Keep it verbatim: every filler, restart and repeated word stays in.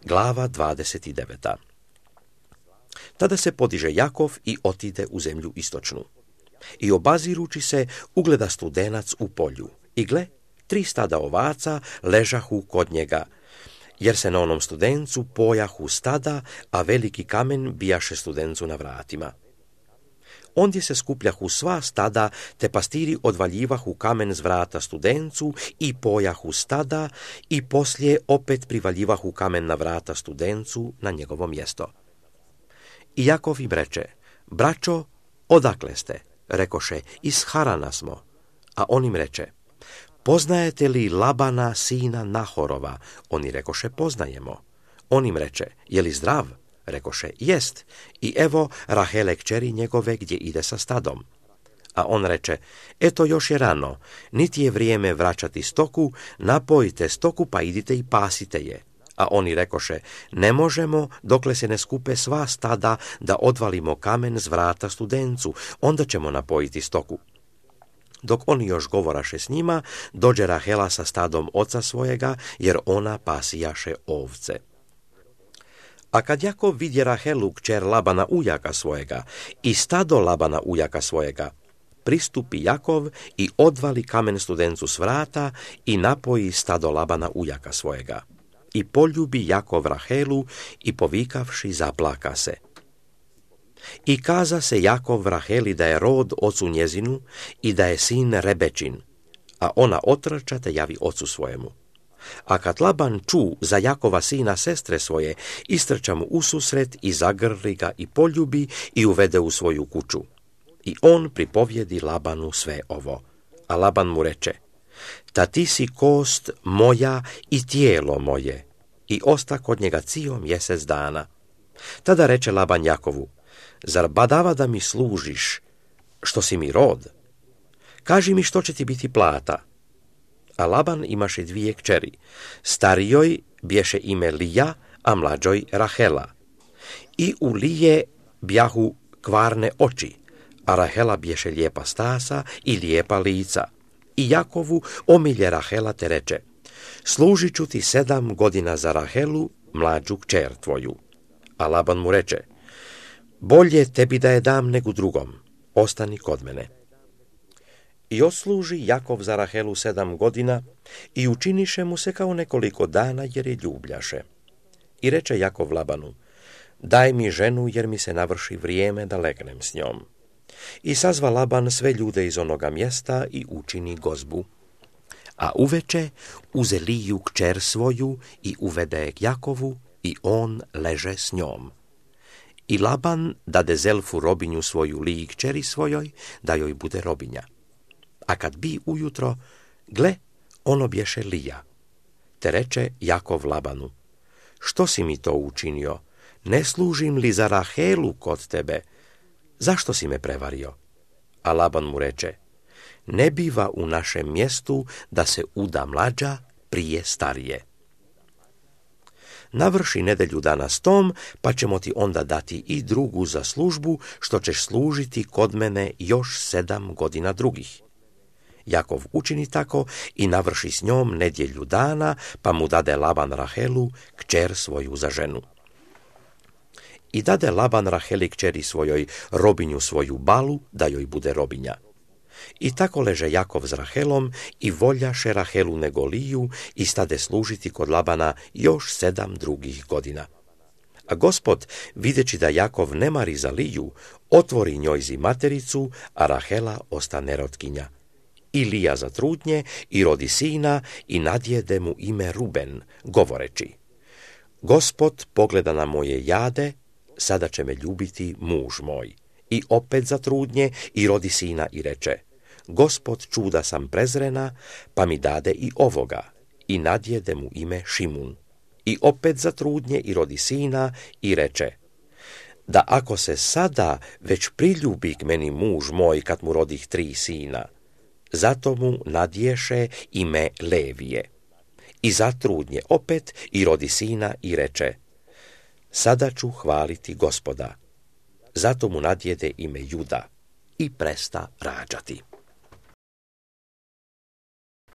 Glava dvadeset devet. Tada se podiže Jakov i otide u zemlju istočnu. I obazirući se, ugleda studenac u polju. I gle, tri stada ovaca ležahu kod njega, jer se na onom studencu pojahu stada, a veliki kamen bijaše studencu na vratima. Ondje se skupljahu sva stada, te pastiri odvaljivahu kamen z vrata studencu i pojahu stada, i poslije opet privaljivahu kamen na vrata studencu na njegovo mjesto. I Jakov im reče: braćo, odakle ste? Rekoše: iz Harana smo. A on im reče: poznajete li Labana, sina Nahorova? Oni rekoše: poznajemo. On im reče: je li zdrav? Rekoše: jest. I evo Rahele kćeri njegove gdje ide sa stadom. A on reče: eto još je rano, niti je vrijeme vraćati stoku, napojite stoku pa idite i pasite je. A oni rekoše: ne možemo dokle se ne skupe sva stada da odvalimo kamen z vrata studencu, onda ćemo napojiti stoku. Dok oni još govoraše s njima, dođe Rahela sa stadom oca svojega, jer ona pasijaše ovce. A kad Jakov vidje Rahelu, kćer Labana ujaka svojega, i stado Labana ujaka svojega, pristupi Jakov i odvali kamen studencu s vrata i napoji stado Labana ujaka svojega. I poljubi Jakov Rahelu i povikavši zaplaka se. I kaza se Jakov Raheli da je rod ocu njezinu i da je sin Rebečin, a ona otrča te javi ocu svojemu. A kad Laban ču za Jakova sina sestre svoje, istrča mu ususret i zagrli ga i poljubi i uvede u svoju kuću. I on pripovjedi Labanu sve ovo. A Laban mu reče: ta ti si kost moja i tijelo moje. I osta kod njega cio mjesec dana. Tada reče Laban Jakovu: zar badava da mi služiš, što si mi rod? Kaži mi što će ti biti plata. A Laban imaše dvije kćeri. Starijoj bješe ime Lija, a mlađoj Rahela. I u Lije bjahu kvarne oči, a Rahela bješe lijepa stasa i lijepa lica. I Jakovu omilje Rahela te reče: služit ću ti sedam godina za Rahelu, mlađu kćer tvoju. A Laban mu reče: bolje tebi da je dam nego drugom, ostani kod mene. I osluži Jakov za Rahelu sedam godina i učiniše mu se kao nekoliko dana, jer je ljubljaše. I reče Jakov Labanu: daj mi ženu, jer mi se navrši vrijeme da legnem s njom. I sazva Laban sve ljude iz onoga mjesta i učini gozbu. A uveče uze Liju kćer svoju i uvede je k Jakovu i on leže s njom. I Laban dade Zelfu robinju svoju Liji kćeri svojoj, da joj bude robinja. A kad bi ujutro, gle, ono bješe Lija. Te reče Jakov Labanu: što si mi to učinio? Ne služim li za Rahelu kod tebe? Zašto si me prevario? A Laban mu reče: ne biva u našem mjestu da se uda mlađa prije starije. Navrši nedelju dana s tom, pa ćemo ti onda dati i drugu za službu, što ćeš služiti kod mene još sedam godina drugih. Jakov učini tako i navrši s njom nedjelju dana, pa mu dade Laban Rahelu, kćer svoju za ženu. I dade Laban Raheli kćeri svojoj robinju svoju Balu, da joj bude robinja. I tako leže Jakov s Rahelom i voljaše Rahelu nego Liju i stade služiti kod Labana još sedam drugih godina. A Gospod, videći da Jakov ne mari za Liju, otvori njojzi matericu, a Rahela ostane rotkinja. I Lija zatrudnje i rodi sina i nadjede mu ime Ruben, govoreći: Gospod pogleda na moje jade, sada će me ljubiti muž moj. I opet zatrudnje i rodi sina i reče: Gospod čuda sam prezrena, pa mi dade i ovoga. I nadjede mu ime Šimun. I opet zatrudnje i rodi sina i reče: da ako se sada već priljubi k meni muž moj kad mu rodih tri sina, zato mu nadješe ime Levije. I zatrudnje opet i rodi sina i reče: sada ću hvaliti Gospoda. Zato mu nadjede ime Juda i presta rađati.